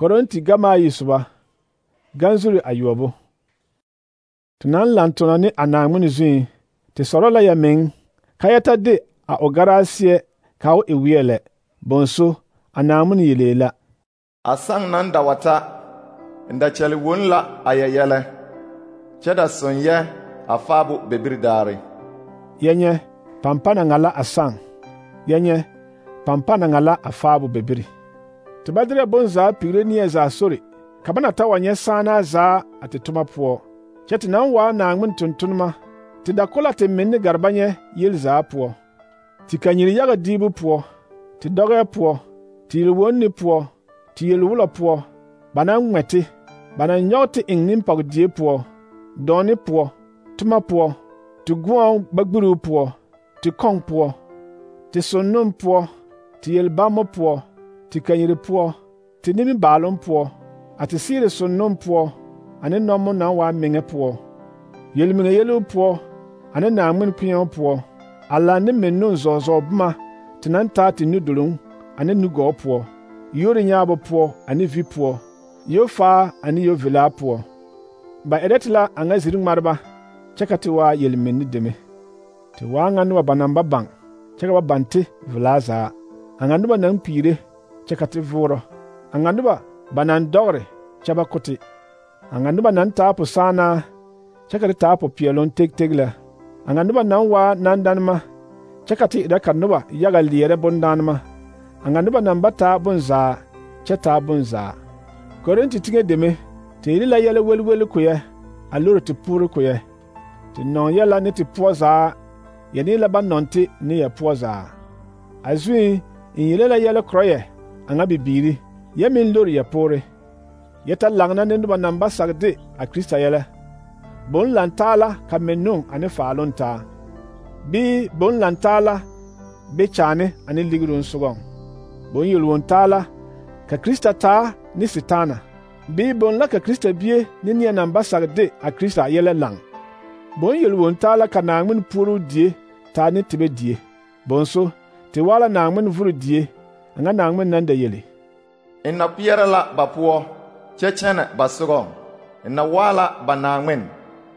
Korinti gama ayi soba ganzuri ayobo. Te naŋ laŋ tona ne a Naawmin zuiŋ, te sɔrɔ la ya meŋ ka yɛ ta de a o garaa seɛ ka o e weɛ lɛ. Bonso a Naawmin yelee la. A saŋ naŋ da wa ta, n da kyɛle won la a yɛ yɛlɛ, kyɛ da soŋ yɛ a faabo bebiri daare. Yɛ nyɛ, pampa na ŋa la a saŋ. Yɛ nyɛ, pampa na ŋa la a faabo bebiri. Te ba derɛ bonzaa pigre neɛ zaa sori, ka ba na ta wa nyɛ sããnaa zaa a te toma poɔ. Kyɛ te naŋ waa Naawmin tontonema, te da ko la te menne gareba nyɛ yel zaa poɔ. Te kanyiri yaga diibu poɔ, te dɔgɛɛ poɔ, te yel-wonne poɔ, te yel-wulɔ poɔ, ba naŋ ŋmɛ te, ba naŋ nyɔge te eŋ nimpɔge-die poɔ, dɔɔne poɔ, toma poɔ, te gõɔŋ gbagburuu poɔ, te kɔŋ poɔ, te sonnom poɔ, te yel-bammo poɔ, te kanyiri poɔ, te nimibaaloŋ poɔ, a te seere sonnom poɔ, ane nɔmo naŋ waa meŋɛ poɔ, yel-miŋe yeluu poɔ, ane Naawmin kpeɛo poɔ, a laŋ ne mennoo zɔɔ boma te naŋ taa te nuduluŋ ane nugɔɔ poɔ, yori nyaabo poɔ ane vi poɔ, yofaa ane yovilaa poɔ. Ba erɛ te la a ŋa ziri ŋmareba, kyɛ ka te waa yel-menne deme. Te waa ŋa noba ba naŋ ba baŋ, kyɛ ka ba baŋ te velaa zaa. A ŋa noba naŋ kpiire, kyɛ ka te voorɔ. A ŋa noba ba naŋ dɔgre, kyɛ ba ko te. A ŋa noba naŋ taa posaanaa, kyɛ ka te taa popeɛloŋ teg lɛ. A ŋa noba naŋ waa nandanema, kyɛ ka te erɛ ka noba yaga leɛrɛ bondanema. A ŋa noba naŋ ba taa bonzaa, kyɛ taa bonzaa. Korinti teŋɛ deme, te yele la yɛlɛ welweli ko yɛ, a lore te puuri ko yɛ. Te nɔŋ yɛ la ne te poɔ zaa, yɛ ne la ba nɔŋ te ne yɛ poɔ zaa. A zuiŋ, n yele la yɛlɛ korɔ yɛ, a ŋa bibiiri, yɛ meŋ lore yɛ poore. Yɛ ta laŋna ne noba naŋ ba sag de a Krista yɛlɛ. Boŋ lantaa la ka mennoo ane faaloŋ taa, bii boŋ lantaa la be kyaane ane ligiruu sogɔŋ. Boŋ yel-won taa la ka Krista taa ne Setaana, bii boŋ la ka Krista bie ne neɛ naŋ ba sag de a Krista yɛlɛ laŋ. Boŋ yel-won taa la ka Naawmin puoruu die taa ne tebɛ die. Bonso, te waa la Naawmin vuri die, a ŋa Naawmin naŋ da yele. N na kpeɛrɛ la ba poɔ, kyɛ kyɛnɛ ba sogɔŋ. N na waa la ba Naawmin,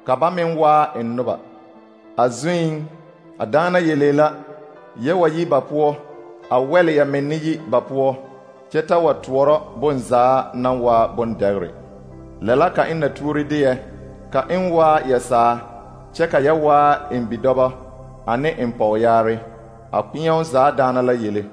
ka ba meŋ waa n noba. A zuiŋ, a daana yelee la, yɛ wa yi ba poɔ, a wɛle ya menne yi ba poɔ, kyɛ ta wa toɔrɔ bonzaa naŋ waa bondɛgre. Lɛ la ka n na tuuri de yɛ, ka n waa yɛ saa, kyɛ ka yɛ waa n bidɔbɔ ane n pɔgyaare. A kpeɛo zaa daana la yele.